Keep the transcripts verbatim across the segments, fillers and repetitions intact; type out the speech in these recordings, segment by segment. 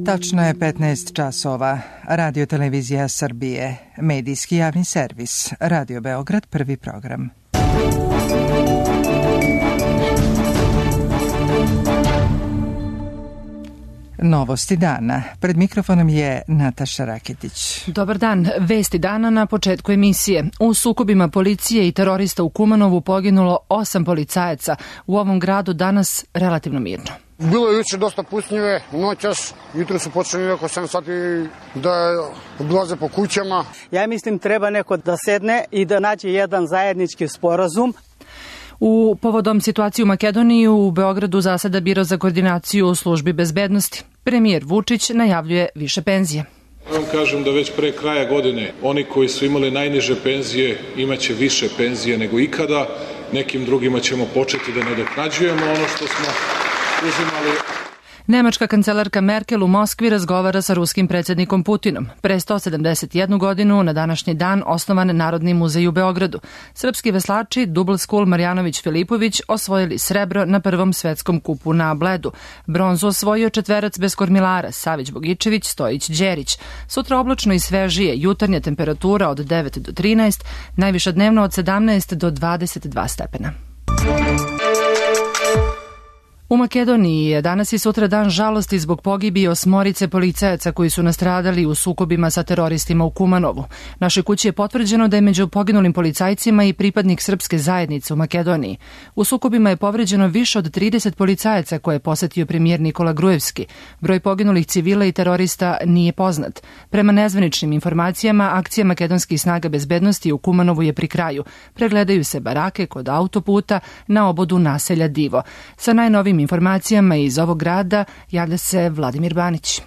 Tačno je petnaest časova. Radio Televizija Srbije, medijski javni servis, Radio Beograd, prvi program. Novosti dana. Pred mikrofonom je Nataša Raketić. Dobar dan. Vesti dana na početku emisije. U sukobima policije i terorista u Kumanovu poginulo osam policajaca. U ovom gradu danas relativno mirno. Bilo je juče dosta pucnjive, noćas, jutro su počeli oko sedam sati da obilaze po kućama. Ja mislim treba neko da sedne i da nađe jedan zajednički sporazum. U povodom situacije u Makedoniji u Beogradu zaseda Biro za koordinaciju u službi bezbednosti. Premijer Vučić najavljuje više penzije. Ja vam kažem da već pre kraja godine oni koji su imali najniže penzije imaće više penzije nego ikada. Nekim drugima ćemo početi da nadoknađujemo ono što smo uzimali. Nemačka kancelarka Merkel u Moskvi razgovara sa ruskim predsjednikom Putinom. Pre sto sedamdeset jednu godinu na današnji dan osnovan Narodni muzej u Beogradu. Srpski veslači Double School Marjanović Filipović osvojili srebro na prvom svetskom kupu na Bledu. Bronzu osvojio četverac bez kormilara Savić Bogičević, Stojić Đerić. Sutra oblačno i svežije, jutarnja temperatura od devet do trinaest, najviša dnevno od sedamnaest do dvadeset dva stepena. U Makedoniji je danas i sutra dan žalosti zbog pogibije osmorice policajaca koji su nastradali u sukobima sa teroristima u Kumanovu. Našoj kući je potvrđeno da je među poginulim policajcima i pripadnik srpske zajednice u Makedoniji. U sukobima je povređeno više od trideset policajaca koje je posetio premijer Nikola Grujevski. Broj poginulih civila i terorista nije poznat. Prema nezvaničnim informacijama, akcija makedonskih snaga bezbednosti u Kumanovu je pri kraju. Pregledaju se barake kod autoputa na obodu naselja Divo. Sa najnovim informacijama iz ovog grada javlja se Vladimir Banić.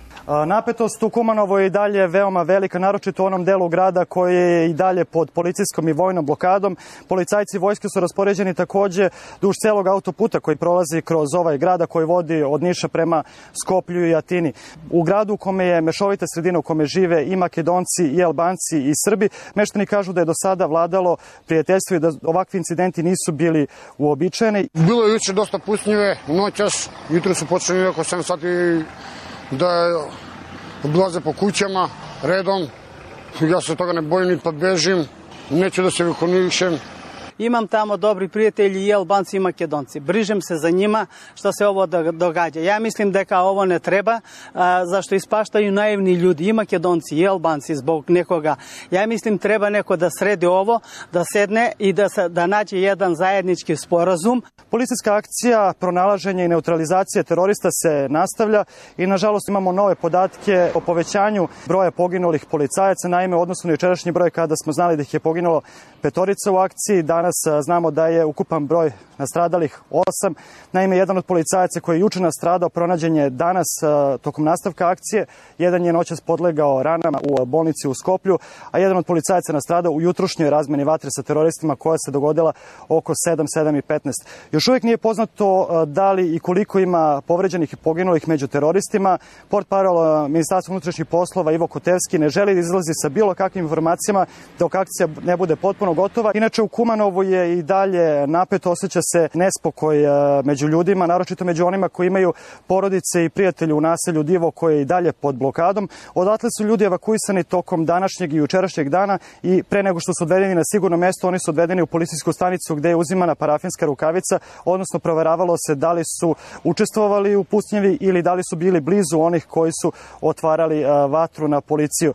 Napetost u Kumanovu je i dalje veoma velika, naročito u onom delu grada koji je i dalje pod policijskom i vojnom blokadom. Policajci vojske su raspoređeni takođe duž celog autoputa koji prolazi kroz ovaj grada koji vodi od Niša prema Skoplju i Atini. U gradu u kome je mešovita sredina, u kome žive i Makedonci i Albanci i Srbi, meštani kažu da je do sada vladalo prijateljstvo i da ovakvi incidenti nisu bili uobičajeni. Bilo je juče dosta pucnjive, noćas, jutro su počeli oko sedam sati da obilaze po kućama redom. Ja se toga ne bojim ni pa bežim, neću da se vikonišem. Imam tamo dobri prijatelji i Albanci i Makedonci. Brižem se za njima što se ovo događa. Ja mislim da kao ovo ne treba, a, zašto ispaštaju naivni ljudi i Makedonci i Albanci zbog nekoga. Ja mislim treba neko da sredi ovo, da sedne i da, se, da nađe jedan zajednički sporazum. Policijska akcija pronalaženja i neutralizacije terorista se nastavlja i nažalost imamo nove podatke o povećanju broja poginulih policajaca. Naime, u odnosu na jučerašnji broj kada smo znali da ih je poginulo petorica u akciji, danas znamo da je ukupan broj nastradalih osam. Naime, jedan od policajaca koji je juče nastradao pronađen je danas tokom nastavka akcije. Jedan je noćas podlegao ranama u bolnici u Skoplju, a jedan od policajaca nastradao u jutrošnjoj razmeni vatre sa teroristima koja se dogodila oko sedam, sedam i petnaest. Još uvijek nije poznato da li i koliko ima povređenih i poginulih među teroristima. Portparol Ministarstva unutrašnjih poslova Ivo Kotevski ne želi da izlazi sa bilo kakvim informacijama dok akcija ne bude potpuno gotova. Inače, u Kumanovu je i dalje napeto, osjeća se nespokoj među ljudima, naročito među onima koji imaju porodice i prijatelje u naselju Divo koje je i dalje pod blokadom. Odatle su ljudi evakuisani tokom današnjeg i jučerašnjeg dana i pre nego što su odvedeni na sigurno mesto, oni su odvedeni u policijsku stanicu gde je uzimana parafinska rukavica, odnosno proveravalo se da li su učestvovali u pucnjevi ili da li su bili blizu onih koji su otvarali vatru na policiju.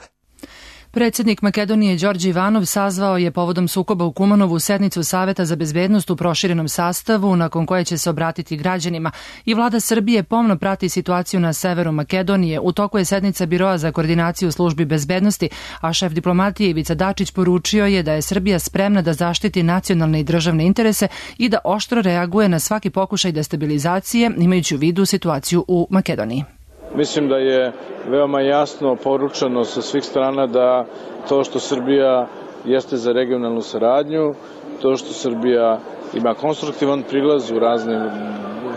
Predsjednik Makedonije Đorđe Ivanov sazvao je povodom sukoba u Kumanovu sednicu Saveta za bezbednost u proširenom sastavu nakon koje će se obratiti građanima i vlada Srbije pomno prati situaciju na severu Makedonije. U toku je sednica Biroa za koordinaciju službi bezbednosti, a šef diplomatije Ivica Dačić poručio je da je Srbija spremna da zaštiti nacionalne i državne interese i da oštro reaguje na svaki pokušaj destabilizacije imajući u vidu situaciju u Makedoniji. Mislim da je veoma jasno poručeno sa svih strana da to što Srbija jeste za regionalnu saradnju, to što Srbija ima konstruktivan prilaz u raznim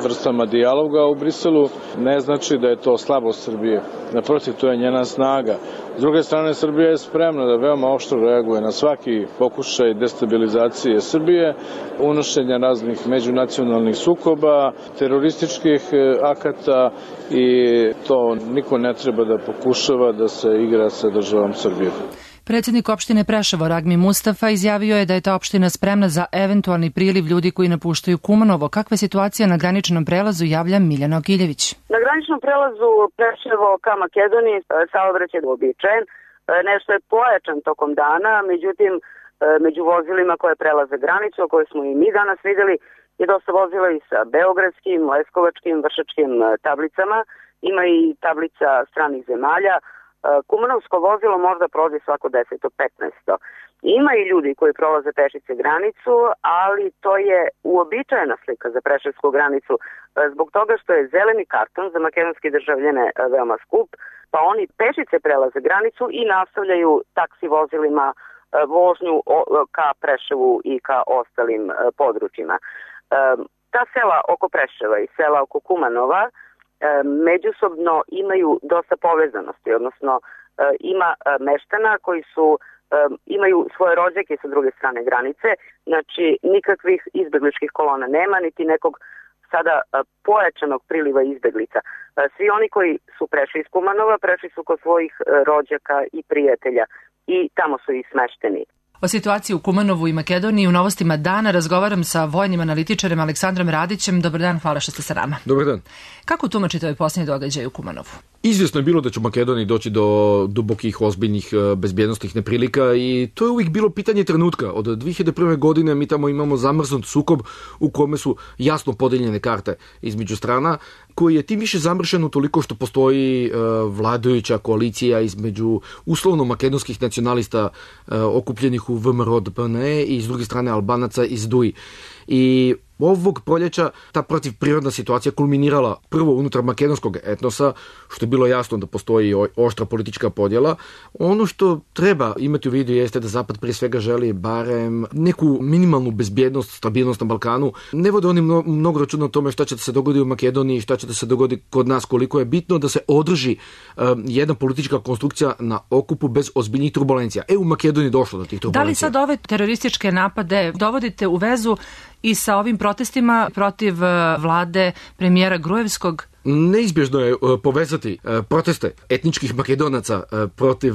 vrstama dijaloga u Briselu, ne znači da je to slabost Srbije. Naprotiv, to je njena snaga. S druge strane, Srbija je spremna da veoma oštro reaguje na svaki pokušaj destabilizacije Srbije, unošenja raznih međunacionalnih sukoba, terorističkih akata i to niko ne treba da pokušava da se igra sa državom Srbijom. Predsjednik opštine Preševo Ragmi Mustafa izjavio je da je ta opština spremna za eventualni priliv ljudi koji napuštaju Kumanovo. Kakva je situacija na graničnom prelazu, javlja Miljana Okiljević. Na graničnom prelazu Preševo ka Makedoniji saobraćaj je uobičajen. Nešto je pojačan tokom dana, međutim među vozilima koje prelaze granicu, koje smo i mi danas vidjeli, je dosta vozila i sa beogradskim, leskovačkim, vršačkim tablicama. Ima i tablica stranih zemalja. Kumanovsko vozilo možda prođe svako deset do petnaest. Ima i ljudi koji prolaze pešice granicu, ali to je uobičajena slika za preševsku granicu zbog toga što je zeleni karton za makedonske državljane veoma skup, pa oni pešice prelaze granicu i nastavljaju taksi vozilima vožnju ka Preševu i ka ostalim područjima. Ta sela oko Preševa i sela oko Kumanova međusobno imaju dosta povezanosti, odnosno ima meštana koji su imaju svoje rođake sa druge strane granice, znači nikakvih izbegličkih kolona nema, niti nekog sada pojačanog priliva izbeglica. Svi oni koji su prešli iz Kumanova, prešli su kod svojih rođaka i prijatelja i tamo su i smešteni. O situaciji u Kumanovu i Makedoniji u Novostima dana razgovaram sa vojnim analitičarem Aleksandrom Radićem. Dobar dan, hvala što ste sa nama. Dobar dan. Kako tumačite ovaj posljednji događaj u Kumanovu? Izvjesno je bilo da će u Makedoniji doći do dubokih, ozbiljnih bezbjednostnih neprilika i to je uvijek bilo pitanje trenutka. Od dvije hiljade prve. godine mi tamo imamo zamrznut sukob u kome su jasno podeljene karte između strana, koji je tim više zamršen utoliko što postoji vladajuća koalicija između uslovno makedonskih nacionalista okupljenih u V M R O D P N E i s druge strane Albanaca iz D U I. I ovog proljeća ta protivprirodna situacija kulminirala prvo unutar makedonskog etnosa, što je bilo jasno da postoji oštra politička podjela. Ono što treba imati u vidu jeste da Zapad prije svega želi barem neku minimalnu bezbjednost, stabilnost na Balkanu. Ne vode oni mnogo računa o tome šta će da se dogodi u Makedoniji, šta će da se dogodi kod nas, koliko je bitno da se održi um, jedna politička konstrukcija na okupu bez ozbiljnih turbulencija. E, u Makedoniji došlo do tih turbulencija. Da li sad ove terorističke napade dovodite u vezu i sa ovim protestima protiv vlade premijera Grujevskog? Neizbježno je povezati proteste etničkih Makedonaca protiv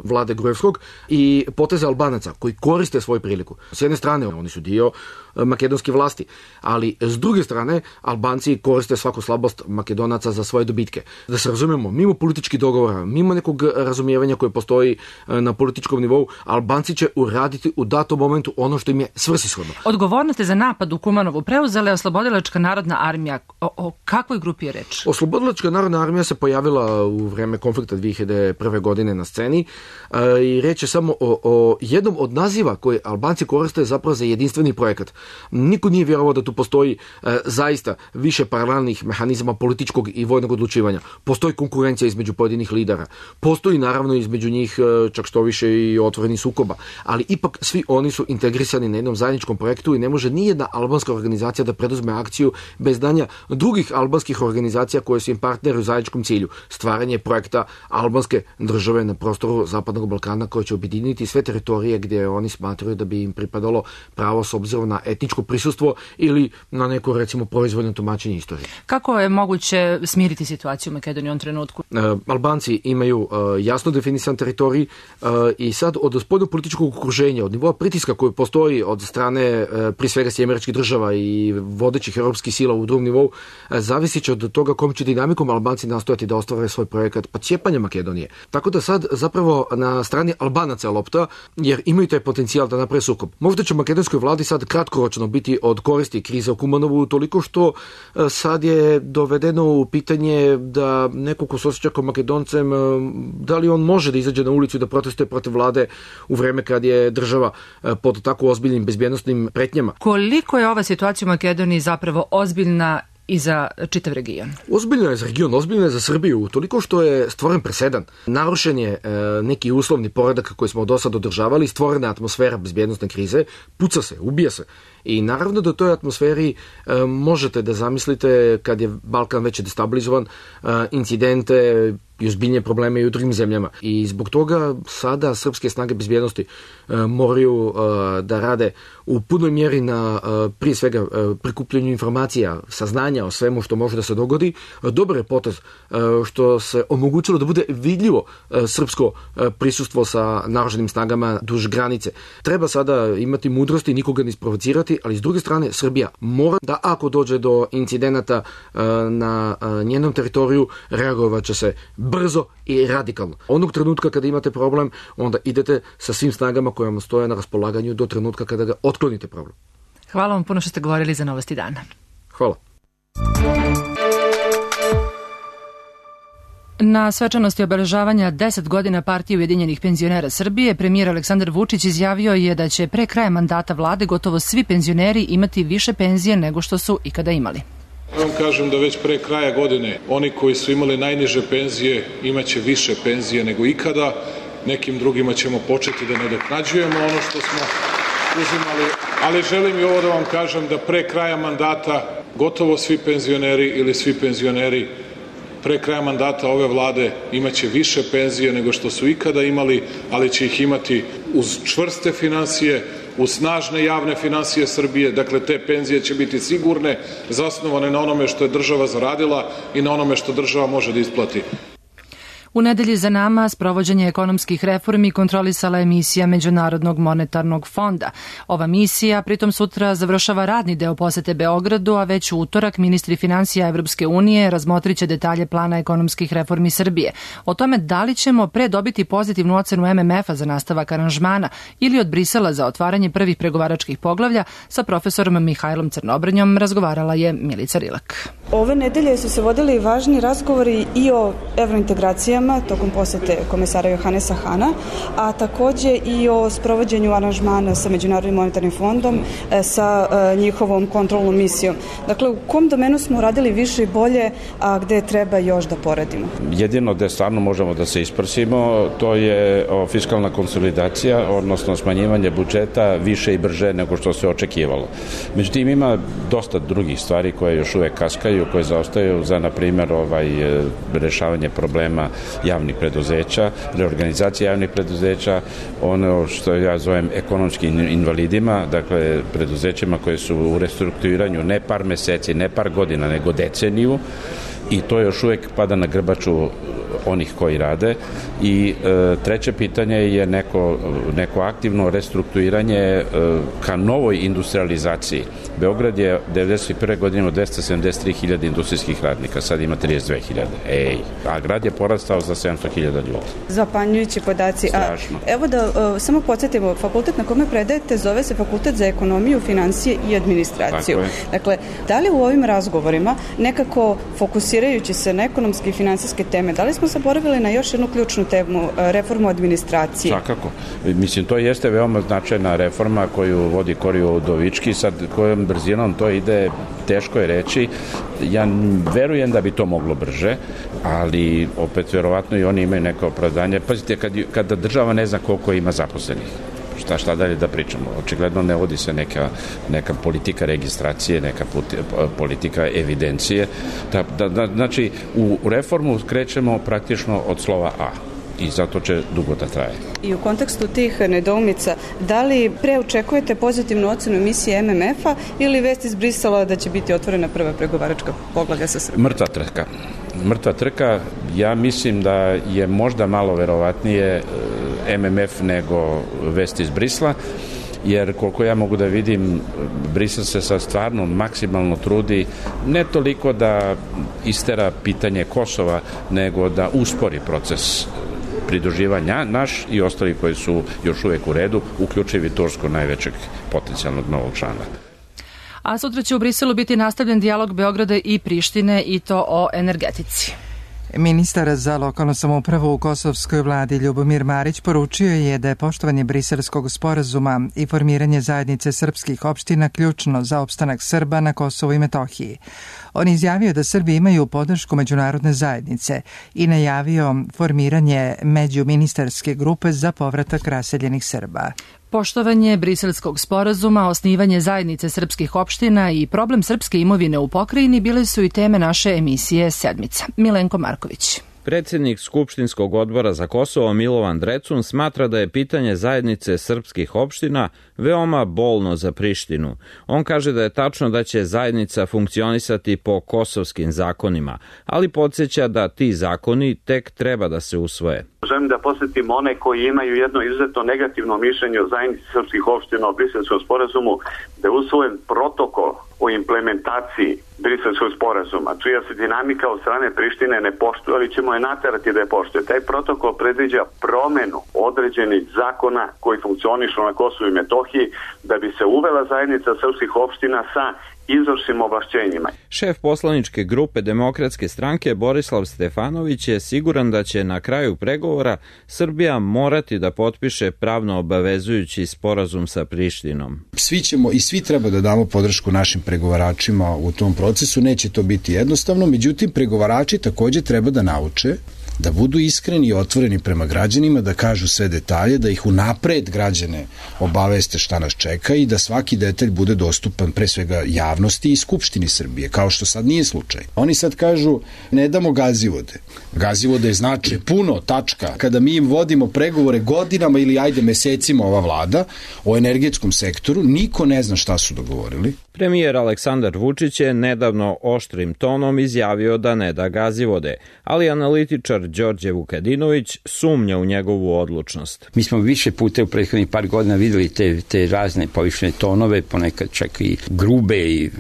vlade Grujevskog i poteze Albanaca koji koriste svoju priliku. S jedne strane oni su dio makedonske vlasti, ali s druge strane Albanci koriste svaku slabost Makedonaca za svoje dobitke. Da se razumijemo, mimo političkih dogovora, mimo nekog razumijevanja koje postoji na političkom nivou, Albanci će uraditi u datom momentu ono što im je svrsishodno. Odgovornost je za napad u Kumanovu preuzela je Oslobodilačka narodna armija. O, o kakvoj grupi je reč? Oslobodilačka narodna armija se pojavila u vreme konflikta dvije hiljade prve. godine na sceni e, i reč je samo o, o jednom od naziva koje Albanci koriste zapravo za jedinstveni projekat. Niko nije vjerovao da tu postoji e, zaista više paralelnih mehanizama političkog i vojnog odlučivanja. Postoji konkurencija između pojedinih lidera. Postoji naravno između njih e, čak što više i otvoreni sukoba. Ali ipak svi oni su integrisani na jednom zajedničkom projektu i ne može nijedna albanska organizacija da preduzme akciju bez danja drugih albanskih organizacija koje su im partneri u zajedničkom cilju. Stvaranje projekta albanske države na prostoru Zapadnog Balkana koje će objediniti sve teritorije gdje oni smatraju da bi im pripadalo pravo s obzirom na etničko prisustvo ili na neko recimo proizvoljno tumačenje istorije. Kako je moguće smiriti situaciju u Makedoniji u ovom trenutku? E, Albanci imaju e, jasno definisan teritorij e, i sad od spoljnog političkog okruženja, od nivoa pritiska koji postoji od strane e, prije svega Sjedinjenih Američkih Država i vodećih europskih sila u drugom nivou, e, zavisi će od toga kom će dinamikom Albanci nastojati da ostvare svoj projekat pocijepanja Makedonije. Tako da sad zapravo na strani Albanaca je lopta, jer imaju taj potencijal da naprave sukob. Možda će makedonskoj vladi sad kratkoročno biti od koristi kriza u Kumanovu toliko što sad je dovedeno u pitanje da neko ko se osjeća kao Makedoncem, da li on može da izađe na ulicu i da protestuje protiv vlade u vreme kad je država pod tako ozbiljnim bezbjednostnim pretnjama. Koliko je ova situacija u Makedoniji zapravo ozbiljna i za čitav region? Ozbiljno je za region, ozbiljno je za Srbiju, toliko što je stvoren presedan. Narušen je e, neki uslovni poredak koji smo do sad održavali, stvorena atmosfera bezbjednostne krize, puca se, ubija se. I naravno da u toj atmosferi e, možete da zamislite, kad je Balkan već destabilizovan, e, incidente i ozbiljnije probleme i u drugim zemljama. I zbog toga sada srpske snage bezbjednosti e, moraju e, da rade u punoj mjeri na e, prije svega e, prikupljanju informacija, saznanja o svemu što može da se dogodi. E, dobar je potez e, što se omogućilo da bude vidljivo e, srpsko e, prisustvo sa naoružanim snagama duž granice. Treba sada imati mudrosti, nikoga ne isprovocirati, ali s druge strane Srbija mora da, ako dođe do incidenata e, na e, njenom teritoriju, reagovat će se brzo i radikalno. Onog trenutka kada imate problem, onda idete sa svim snagama koje vam stoje na raspolaganju do trenutka kada ga otklonite problem. Hvala vam puno što ste govorili za Novosti dana. Hvala. Na svečanosti obeležavanja deset godina Partije Ujedinjenih penzionera Srbije, premijer Aleksandar Vučić izjavio je da će pre kraja mandata vlade gotovo svi penzioneri imati više penzije nego što su ikada imali. Ja vam kažem da već pre kraja godine oni koji su imali najniže penzije imaće više penzije nego ikada, nekim drugima ćemo početi da nadoknađujemo ono što smo uzimali, ali želim i ovo da vam kažem da pre kraja mandata gotovo svi penzioneri ili svi penzioneri pre kraja mandata ove vlade imaće više penzije nego što su ikada imali, ali će ih imati uz čvrste finansije, uz snažne javne finansije Srbije. Dakle, te penzije će biti sigurne, zasnovane na onome što je država zaradila i na onome što država može da isplati. U nedelji za nama sprovođenje ekonomskih reformi kontrolisala je misija Međunarodnog monetarnog fonda. Ova misija pritom sutra završava radni deo posete Beogradu, a već u utorak ministri finansija Evropske unije razmotriće detalje plana ekonomskih reformi Srbije. O tome da li ćemo pre dobiti pozitivnu ocenu M M F-a za nastavak aranžmana ili od Brisela za otvaranje prvih pregovaračkih poglavlja, sa profesorom Mihajlom Crnobrnjom razgovarala je Milica Rilak. Ove nedelje su se vodili važni razgovori i o evrointegracijama tokom posete komesara Johanesa Hana, a takođe i o sprovođenju aranžmana sa Međunarodnim monetarnim fondom, sa njihovom kontrolnom misijom. Dakle, u kom domenu smo radili više i bolje, a gde treba još da poradimo? Jedino gde stvarno možemo da se isprsimo, to je fiskalna konsolidacija, odnosno smanjivanje budžeta više i brže nego što se očekivalo. Međutim, ima dosta drugih stvari koje još uvek kaskaju, koje zaostaju za, na primjer, ovaj, rešavanje problema javnih preduzeća, reorganizacija javnih preduzeća, ono što ja zovem ekonomskim invalidima, dakle preduzećima koje su u restrukturiranju ne par meseci, ne par godina, nego deceniju, i to još uvek pada na grbaču onih koji rade. I e, treće pitanje je neko, neko aktivno restrukturiranje e, ka novoj industrializaciji. Beograd je devedeset prve godine imao dvesta sedamdeset tri hiljade industrijskih radnika, sad ima trideset dve hiljade. Ej, a grad je porastao za sedamsto hiljada ljudi. Zapanjujući podaci. Strašno. A, evo da uh, samo podsjetimo, fakultet na kome predajete zove se Fakultet za ekonomiju, finansije i administraciju. Dakle, da li u ovim razgovorima nekako fokusirajući se na ekonomske i finansijske teme, da li smo zaboravili na još jednu ključnu temu, reformu administracije? Svakako. Mislim, to jeste veoma značajna reforma koju vodi Kori Udovički, sad kojom brzinom to ide, teško je reći. Ja verujem da bi to moglo brže, ali opet verovatno i oni imaju neko opravdanje. Pazite, kad, kada država ne zna koliko ima zaposlenih, šta, šta dalje da pričamo? Očigledno ne vodi se neka, neka politika registracije, neka puti, politika evidencije. Da, da, da, znači, u reformu krećemo praktično od slova A i zato će dugo da traje. I u kontekstu tih nedoumica, da li pre očekujete pozitivnu ocenu emisije M M F-a ili vest iz Brisela da će biti otvorena prva pregovaračka poglavlja sa Srbijom? Mrtva trka. Mrtva trka, ja mislim da je možda malo verovatnije M M F nego vest iz Brisela, jer koliko ja mogu da vidim, Brisel se sad stvarno maksimalno trudi ne toliko da istera pitanje Kosova, nego da uspori proces pridruživanja naš i ostali koji su još uvek u redu, uključivi Tursku, najvećeg potencijalnog novog člana. A sutra će u Briselu biti nastavljen dijalog Beograda i Prištine, i to o energetici. Ministar za lokalnu samoupravu u kosovskoj vladi Ljubomir Marić poručio je da je poštovanje Briselskog sporazuma i formiranje zajednice srpskih opština ključno za opstanak Srba na Kosovu i Metohiji. On je izjavio da Srbi imaju podršku međunarodne zajednice i najavio formiranje međuministarske grupe za povratak raseljenih Srba. Poštovanje Briselskog sporazuma, osnivanje zajednice srpskih opština i problem srpske imovine u pokrajini bile su i teme naše emisije Sedmica. Milenko Marković. Predsednik Skupštinskog odbora za Kosovo Milovan Drecun smatra da je pitanje zajednice srpskih opština veoma bolno za Prištinu. On kaže da je tačno da će zajednica funkcionisati po kosovskim zakonima, ali podsjeća da ti zakoni tek treba da se usvoje. Želim da posjetim one koji imaju jedno izuzetno negativno mišljenje o zajednici srpskih opština o Briselskom sporazumu, da je usvojen protokol o implementaciji Briselskog sporazuma, čija se dinamika od strane Prištine ne poštuje, ali ćemo je naterati da je poštuje. Taj protokol predviđa promenu određenih zakona koji funkcionišu na Kosovu i Metohiji da bi se uvela zajednica srpskih opština sa izvršnim ovlašćenjima. Šef poslaničke grupe Demokratske stranke Borislav Stefanović je siguran da će na kraju pregovora Srbija morati da potpiše pravno obavezujući sporazum sa Prištinom. Svi ćemo i svi treba da damo podršku našim pregovaračima u tom procesu, neće to biti jednostavno, međutim pregovarači takođe treba da nauče da budu iskreni i otvoreni prema građanima, da kažu sve detalje, da ih unapred građane obaveste šta nas čeka i da svaki detalj bude dostupan pre svega javnosti i Skupštini Srbije, kao što sad nije slučaj. Oni sad kažu ne damo gazivode. Gazivode znači puno, tačka. Kada mi im vodimo pregovore godinama ili ajde mesecima ova vlada o energetskom sektoru, niko ne zna šta su dogovorili. Premijer Aleksandar Vučić je nedavno oštrim tonom izjavio da ne da gazivode, ali analitičar Đorđe Vukadinović sumnja u njegovu odlučnost. Mi smo više puta u prethodnih par godina videli te, te razne povišene tonove, ponekad čak i grube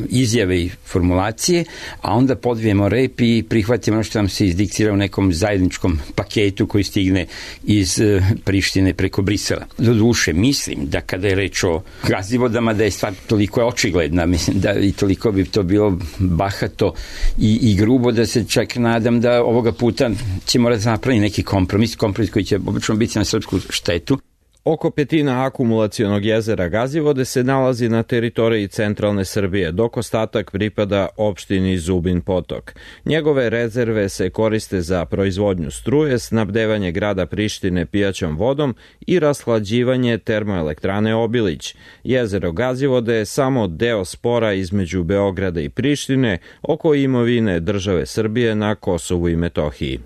izjave i formulacije, a onda podvijemo rep i prihvatimo ono što nam se izdiktira u nekom zajedničkom paketu koji stigne iz Prištine preko Brisela. Do duše, mislim da kada je reč o gazivodama da je stvar toliko očigledna, mislim da i toliko bi to bilo bahato i, i grubo da se čak nadam da ovoga puta će morati napraviti neki kompromis, kompromis koji će obično biti na srpsku štetu. Oko petina akumulacionog jezera Gazivode se nalazi na teritoriji centralne Srbije, dok ostatak pripada opštini Zubin Potok. Njegove rezerve se koriste za proizvodnju struje, snabdevanje grada Prištine pijaćom vodom i rashlađivanje termoelektrane Obilić. Jezero Gazivode je samo deo spora između Beograda i Prištine oko imovine države Srbije na Kosovu i Metohiji.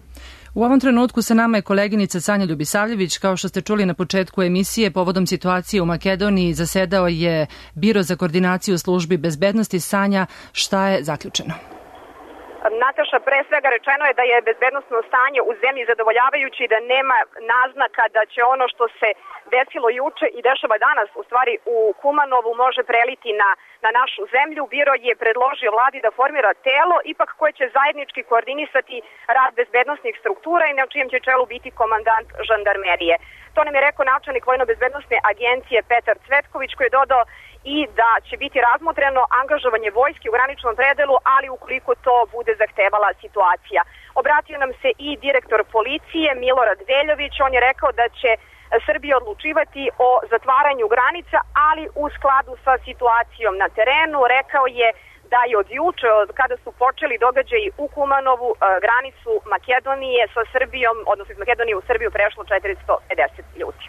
U ovom trenutku sa nama je koleginica Sanja Ljubisavljević. Kao što ste čuli na početku emisije, povodom situacije u Makedoniji zasedao je Biro za koordinaciju službi bezbednosti. Sanja, šta je zaključeno? Nataša, pre svega rečeno je da je bezbednosno stanje u zemlji zadovoljavajuće i da nema naznaka da će ono što se desilo juče i dešava danas, u stvari u Kumanovu, može preliti na, na našu zemlju. Biro je predložio vladi da formira telo, ipak koje će zajednički koordinisati rad bezbednosnih struktura i na čijem će čelu biti komandant žandarmerije. To nam je rekao načelnik Vojno-bezbednosne agencije Petar Cvetković, koji je dodao i da će biti razmotreno angažovanje vojske u graničnom predelu, ali ukoliko to bude zahtevala situacija. Obratio nam se i direktor policije Milorad Veljović. On je rekao da će Srbija odlučivati o zatvaranju granica, ali u skladu sa situacijom na terenu. Rekao je da je od juče, od kada su počeli događaji u Kumanovu, granicu Makedonije sa Srbijom, odnosno iz Makedonije u Srbiju prešlo četiristo pedeset ljudi.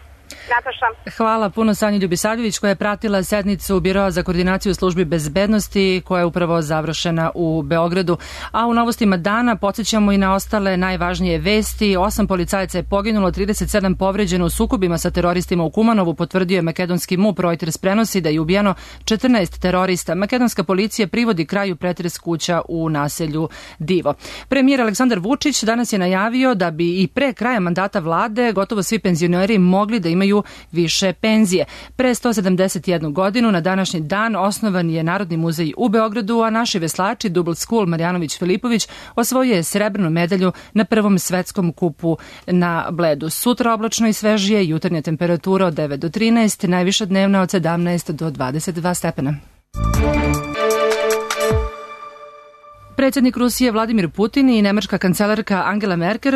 Nataša. Hvala puno Sanji Ljubisavljević koja je pratila sednicu Biroa za koordinaciju službi bezbednosti koja je upravo završena u Beogradu. A u novostima dana podsjećamo i na ostale najvažnije vesti. Osam policajaca je poginulo, trideset sedam povređeno u sukobima sa teroristima u Kumanovu, potvrdio je makedonski MUP. Reuters prenosi da je ubijeno četrnaest terorista. Makedonska policija privodi kraju pretres kuća u naselju Divo. Premijer Aleksandar Vučić danas je najavio da bi i pre kraja mandata vlade gotovo svi penzioneri mogli da imaju više penzije. Pre sto sedamdeset jednu godinu na današnji dan osnovan je Narodni muzej u Beogradu, a naši veslači Double School Marjanović Filipović osvojio je srebrnu medalju na prvom svetskom kupu na Bledu. Sutra oblačno i svežije, jutarnja temperatura od devet do trinaest, najviša dnevna od sedamnaest do dvadeset dva stepena. Pre Predsjednik Rusije Vladimir Putin i nemačka kancelarka Angela Merkel,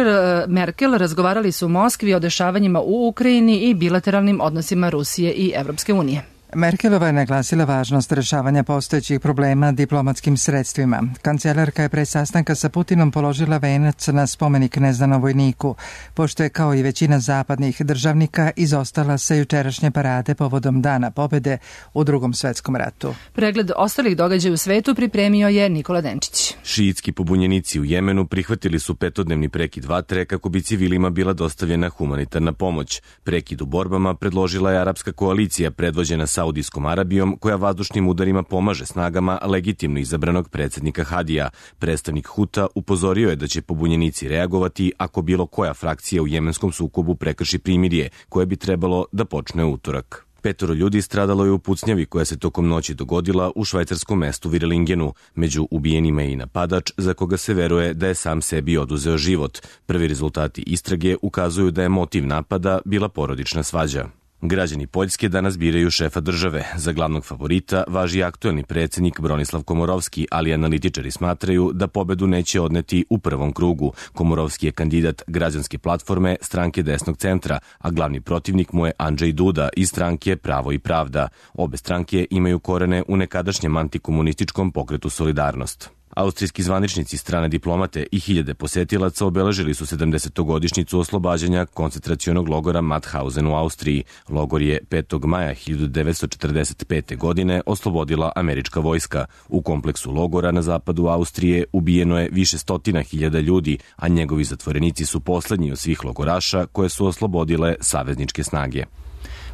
Merkel razgovarali su u Moskvi o dešavanjima u Ukrajini i bilateralnim odnosima Rusije i Evropske unije. Merkelova je naglasila važnost rešavanja postojećih problema diplomatskim sredstvima. Kancelarka je pre sastanka sa Putinom položila venac na spomenik neznanom vojniku, pošto je kao i većina zapadnih državnika izostala sa jučerašnje parade povodom Dana pobede u Drugom svetskom ratu. Pregled ostalih događaja u svetu pripremio je Nikola Denčić. Šiitski pobunjenici u Jemenu prihvatili su petodnevni prekid vatre kako bi civilima bila dostavljena humanitarna pomoć. Prekid u borbama predložila je arapska koalicija predvođena Saudijskom Arabijom, koja vazdušnim udarima pomaže snagama legitimno izabranog predsednika Hadija. Predstavnik Huta upozorio je da će pobunjenici reagovati ako bilo koja frakcija u jemenskom sukobu prekrši primirje, koje bi trebalo da počne utorak. Petoro ljudi stradalo je u pucnjavi koja se tokom noći dogodila u švajcarskom mestu Virlingenu. Među ubijenima je i napadač za koga se veruje da je sam sebi oduzeo život. Prvi rezultati istrage ukazuju da je motiv napada bila porodična svađa. Građani Poljske danas biraju šefa države. Za glavnog favorita važi aktuelni predsednik Bronislav Komorovski, ali analitičari smatraju da pobedu neće odneti u prvom krugu. Komorovski je kandidat građanske platforme stranke desnog centra, a glavni protivnik mu je Andrzej Duda iz stranke Pravo i pravda. Obe stranke imaju korene u nekadašnjem antikomunističkom pokretu Solidarnost. Austrijski zvaničnici, strane diplomate i hiljade posetilaca obeležili su sedamdesetogodišnjicu oslobađanja koncentracionog logora Mauthausen u Austriji. Logor je petog maja hiljadu devetsto četrdeset pete. godine oslobodila američka vojska. U kompleksu logora na zapadu Austrije ubijeno je više stotina hiljada ljudi, a njegovi zatvorenici su poslednji od svih logoraša koje su oslobodile savezničke snage.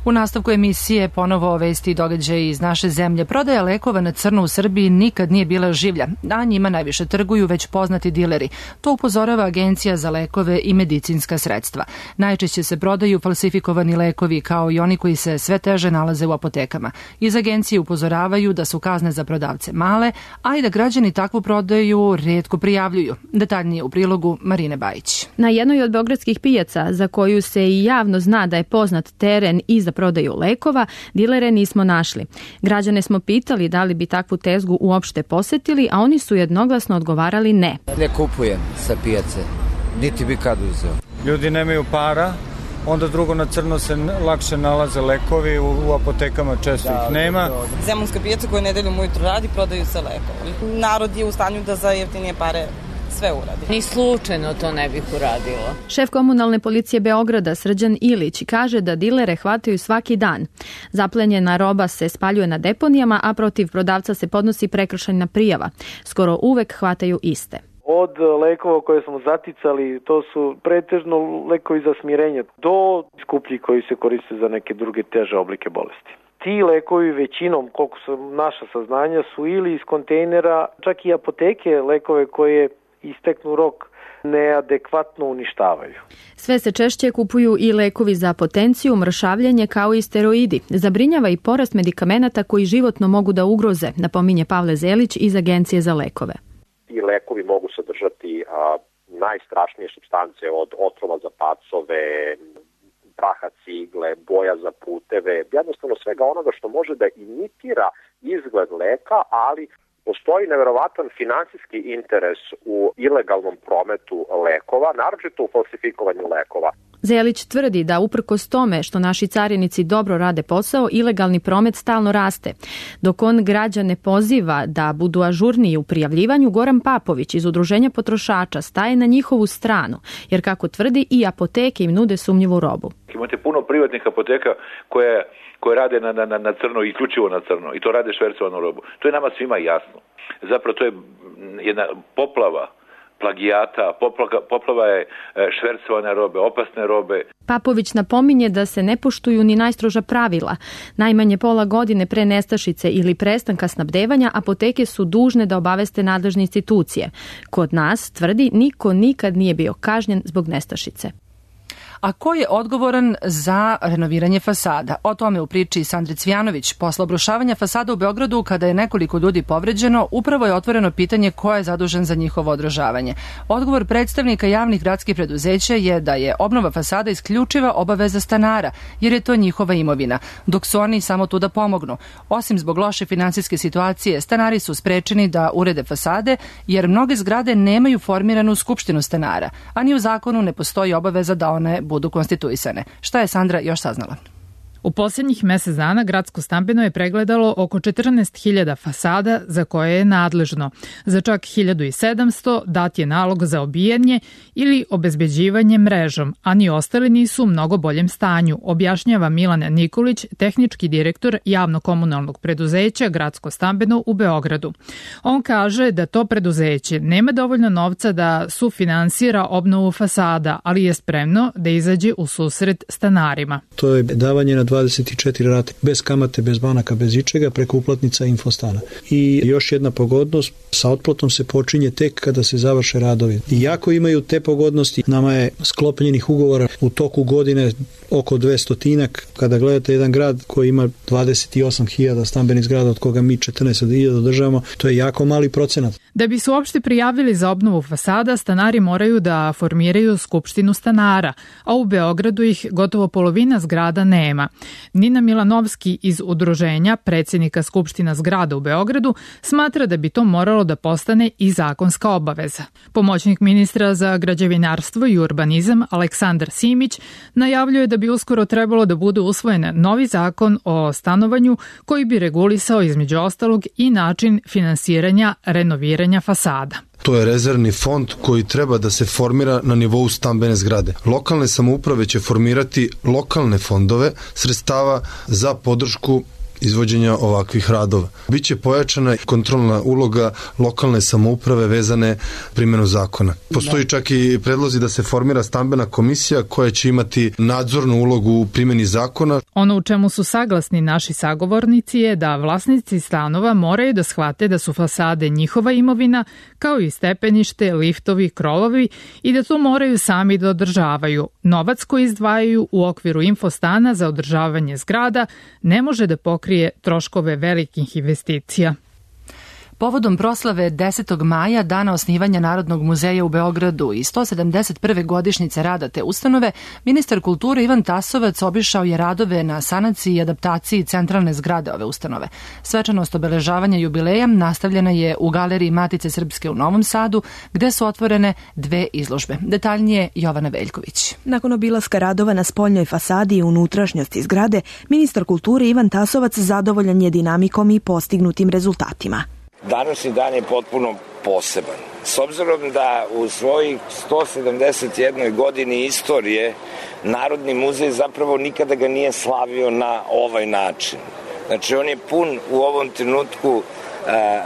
U nastavku emisije ponovo vesti i događaji iz naše zemlje. Prodaja lekova na crno u Srbiji nikad nije bila življa, a njima najviše trguju već poznati dileri. To upozorava Agencija za lekove i medicinska sredstva. Najčešće se prodaju falsifikovani lekovi, kao i oni koji se sve teže nalaze u apotekama. Iz agencije upozoravaju da su kazne za prodavce male, a i da građani takvu prodaju retko prijavljuju. Detaljnije u prilogu Marine Bajić. Na jednoj od beogradskih pijaca, za koju se i javno zna da je poznat teren i za prodaju lekova, dilere nismo našli. Građane smo pitali da li bi takvu tezgu uopšte posetili, a oni su jednoglasno odgovarali ne. Ne kupujem sa pijace, niti bi kad uzeo. Ljudi nemaju para, onda drugo na crno se lakše nalaze lekovi, u, u apotekama često da, ih nema. Zemunska pijaca koja nedeljom ujutru radi, prodaju se lekovi. Narod je u stanju da za jeftinije pare sve uradi. Ni slučajno to ne bih uradila. Šef komunalne policije Beograda Srđan Ilić kaže da dilere hvataju svaki dan. Zaplenjena roba se spaljuje na deponijama, a protiv prodavca se podnosi prekršajna prijava. Skoro uvek hvataju iste. Od lekova koje smo zaticali, to su pretežno lekovi za smirenje, do skuplji koji se koriste za neke druge teže oblike bolesti. Ti lekovi većinom, koliko su naša saznanja, su ili iz kontejnera, čak i apoteke lekove koje isteknu rok neadekvatno uništavaju. Sve se češće kupuju i lekovi za potenciju, mršavljanje kao i steroidi. Zabrinjava i porast medikamenata koji životno mogu da ugroze, napominje Pavle Zelić iz Agencije za lekove. Ti lekovi mogu sadržati a, najstrašnije supstance od otrova za pacove, praha cigle, boja za puteve, jednostavno svega onoga što može da imitira izgled leka, ali postoji neverovatan finansijski interes u ilegalnom prometu lekova, naročito u falsifikovanju lekova. Zelić tvrdi da uprkos tome što naši carinici dobro rade posao, ilegalni promet stalno raste. Dok on građane poziva da budu ažurniji u prijavljivanju, Goran Papović iz Udruženja potrošača staje na njihovu stranu, jer kako tvrdi i apoteke im nude sumnjivu robu. Imate puno privatnih apoteka koje koje rade na, na, na crno, isključivo na crno, i to rade švercovanu robu. To je nama svima jasno. Zapravo to je jedna poplava plagijata, poplava, poplava je švercovane robe, opasne robe. Papović napominje da se ne poštuju ni najstroža pravila. Najmanje pola godine pre nestašice ili prestanka snabdevanja apoteke su dužne da obaveste nadležne institucije. Kod nas, tvrdi, niko nikad nije bio kažnjen zbog nestašice. A ko je odgovoran za renoviranje fasada? O tome u priči Sandri Cvjanović. Posle obrušavanja fasada u Beogradu, kada je nekoliko ljudi povređeno, upravo je otvoreno pitanje ko je zadužen za njihovo održavanje. Odgovor predstavnika javnih gradskih preduzeća je da je obnova fasada isključiva obaveza stanara, jer je to njihova imovina, dok su oni samo tu da pomognu. Osim zbog loše finansijske situacije, stanari su sprečeni da urede fasade, jer mnoge zgrade nemaju formiranu skupštinu stanara, a ni u zakonu ne postoji obaveza da one budu konstituisane. Šta je Sandra još saznala? U posljednjih mesec dana gradsko stambeno je pregledalo oko četrnaest hiljada fasada za koje je nadležno. Za čak hiljadu sedamsto dat je nalog za obijanje ili obezbeđivanje mrežom, a ni ostali nisu u mnogo boljem stanju, objašnjava Milan Nikolić, tehnički direktor javno-komunalnog preduzeća Gradsko stambeno u Beogradu. On kaže da to preduzeće nema dovoljno novca da sufinansira obnovu fasada, ali je spremno da izađe u susret stanarima. To je davanje na dvadeset četiri rate, bez kamate, bez banaka, bez ičega, preko uplatnica Infostana. I još jedna pogodnost, sa otplatom se počinje tek kada se završe radovi. Iako imaju te pogodnosti, nama je sklopljenih ugovora u toku godine oko dvestotinak. Kada gledate jedan grad koji ima dvadeset osam hiljada stambenih zgrada, od koga mi četrnaest hiljada održavamo, to je jako mali procenat. Da bi se uopšte prijavili za obnovu fasada, stanari moraju da formiraju skupštinu stanara, a u Beogradu ih gotovo polovina zgrada nema. Nina Milanovski iz udruženja predsjednika Skupština zgrada u Beogradu smatra da bi to moralo da postane i zakonska obaveza. Pomoćnik ministra za građevinarstvo i urbanizam Aleksandar Simić najavljuje da bi uskoro trebalo da bude usvojen novi zakon o stanovanju koji bi regulisao između ostalog i način finansiranja renoviranja fasada. To je rezervni fond koji treba da se formira na nivou stambene zgrade. Lokalne samouprave će formirati lokalne fondove sredstava za podršku izvođenja ovakvih radova. Biće pojačana kontrolna uloga lokalne samouprave vezane primjenu zakona. Postoji čak i predlozi da se formira stambena komisija koja će imati nadzornu ulogu u primjeni zakona. Ono u čemu su saglasni naši sagovornici je da vlasnici stanova moraju da shvate da su fasade njihova imovina, kao i stepenište, liftovi, krovovi i da to moraju sami da održavaju. Novac koji izdvajaju u okviru Infostana za održavanje zgrada ne može da pokrije troškove velikih investicija. Povodom proslave desetog maja, dana osnivanja Narodnog muzeja u Beogradu i sto sedamdeset prve godišnjice rada te ustanove, ministar kulture Ivan Tasovac obišao je radove na sanaciji i adaptaciji centralne zgrade ove ustanove. Svečanost obeležavanja jubileja nastavljena je u galeriji Matice Srpske u Novom Sadu, gde su otvorene dve izložbe. Detaljnije Jovana Veljković. Nakon obilaska radova na spoljnoj fasadi i unutrašnjosti zgrade, ministar kulture Ivan Tasovac zadovoljan je dinamikom i postignutim rezultatima. Današnji dan je potpuno poseban. S obzirom da u svojih sto sedamdeset jednoj godini istorije Narodni muzej zapravo nikada ga nije slavio na ovaj način. Znači on je pun u ovom trenutku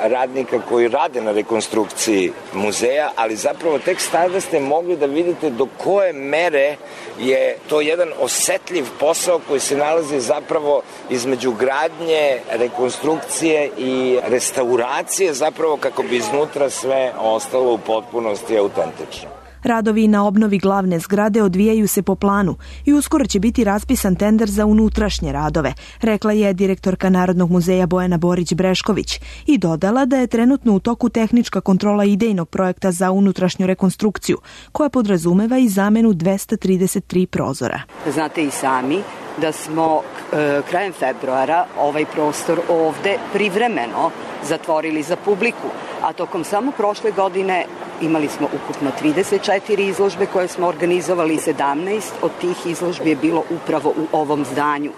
radnika koji rade na rekonstrukciji muzeja, ali zapravo tek tada ste mogli da vidite do koje mere je to jedan osetljiv posao koji se nalazi zapravo između gradnje, rekonstrukcije i restauracije, zapravo kako bi iznutra sve ostalo u potpunosti autentično. Radovi na obnovi glavne zgrade odvijaju se po planu i uskoro će biti raspisan tender za unutrašnje radove, rekla je direktorka Narodnog muzeja Bojana Borić-Brešković i dodala da je trenutno u toku tehnička kontrola idejnog projekta za unutrašnju rekonstrukciju, koja podrazumeva i zamenu dvesta trideset tri prozora. Znate i sami da smo e, krajem februara ovaj prostor ovde privremeno zatvorili za publiku, a tokom samo prošle godine imali smo ukupno trideset četiri izložbe koje smo organizovali, sedamnaest od tih izložbi je bilo upravo u ovom zdanju.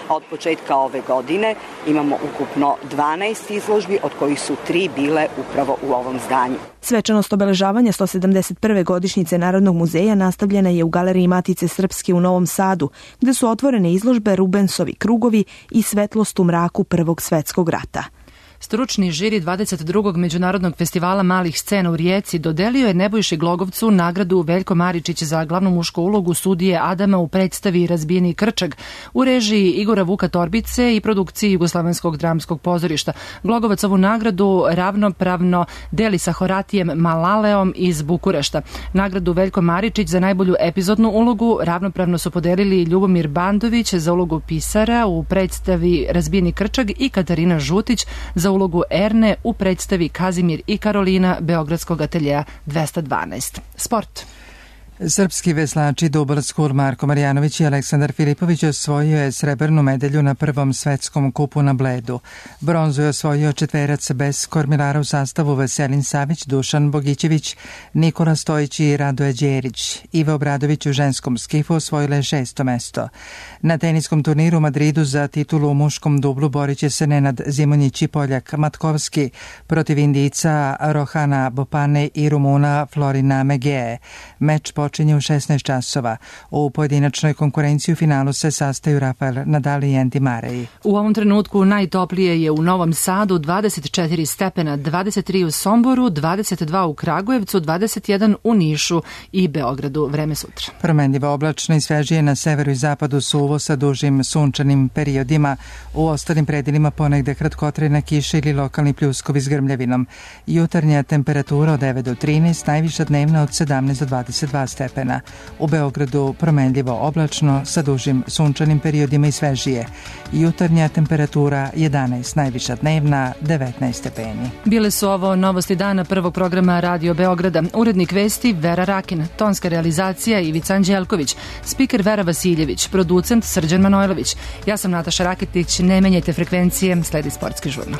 A od početka ove godine imamo ukupno dvanaest izložbi, od kojih su tri bile upravo u ovom zdanju. Svečanost obeležavanja sto sedamdeset prve godišnjice Narodnog muzeja nastavljena je u galeriji Matice Srpske u Novom Sadu, gde su otvorene izložbe Rubensovi krugovi i Svetlost u mraku Prvog svetskog rata. Stručni žiri dvadeset drugog Međunarodnog festivala malih scena u Rijeci dodelio je Nebojši Glogovcu nagradu Veljko Maričić za glavnu mušku ulogu sudije Adama u predstavi Razbijeni krčag u režiji Igora Vuka Torbice i produkciji Jugoslovenskog dramskog pozorišta. Glogovac ovu nagradu ravnopravno deli sa Horatijem Malaleom iz Bukurešta. Nagradu Veljko Maričić za najbolju epizodnu ulogu ravnopravno su podelili Ljubomir Bandović za ulogu pisara u predstavi Razbijeni krčag i Katarina Žutić za ulogu Erne u predstavi Kazimir i Karolina Beogradskog ateljeja dvesta dvanaest. Sport. Srpski veslači Double School Marko Marjanović i Aleksandar Filipović osvojio je srebrnu medalju na prvom svetskom kupu na Bledu. Bronzu je osvojio četverac bez kormilara u sastavu Veselin Savić, Dušan Bogićević, Nikola Stojić i Radoje Đerić. Iva Obradović u ženskom skifu osvojila je šesto mesto. Na teniskom turniru u Madridu za titulu u muškom dublu borit će se Nenad Zimonjić i Poljak Matkovski protiv Indijca Rohana Bopane i Rumuna Florina Megee. Meč počinje u šesnaest časova. U pojedinačnoj konkurenciji u finalu se sastaju Rafael Nadal i Andy Murray. U ovom trenutku najtoplije je u Novom Sadu dvadeset četiri stepena, dvadeset tri u Somboru, dvadeset dva u Kragujevcu, dvadeset jedan u Nišu i Beogradu. Vreme sutra. Promenljivo oblačno i svežije na severu i zapadu, suvo sa dužim sunčanim periodima. U ostalim predelima ponegde kratkotrajna kiša ili lokalni pljuskovi s grmljavinom. Jutarnja temperatura od devet do trinaest, najviša dnevna od sedamnaest do dvadeset dva stepena. U Beogradu promenljivo oblačno sa dužim sunčanim periodima i svežije. Jutarnja temperatura jedanaest, najviša dnevna devetnaest stepeni. Bile su ovo novosti dana prvog programa Radio Beograda. Urednik vesti Vera Rakin, tonska realizacija Ivica Anđelković, spiker Vera Vasiljević, producent Srđan Manojlović. Ja sam Nataša Raketić, ne menjajte frekvencije, sledi sportski žurnal.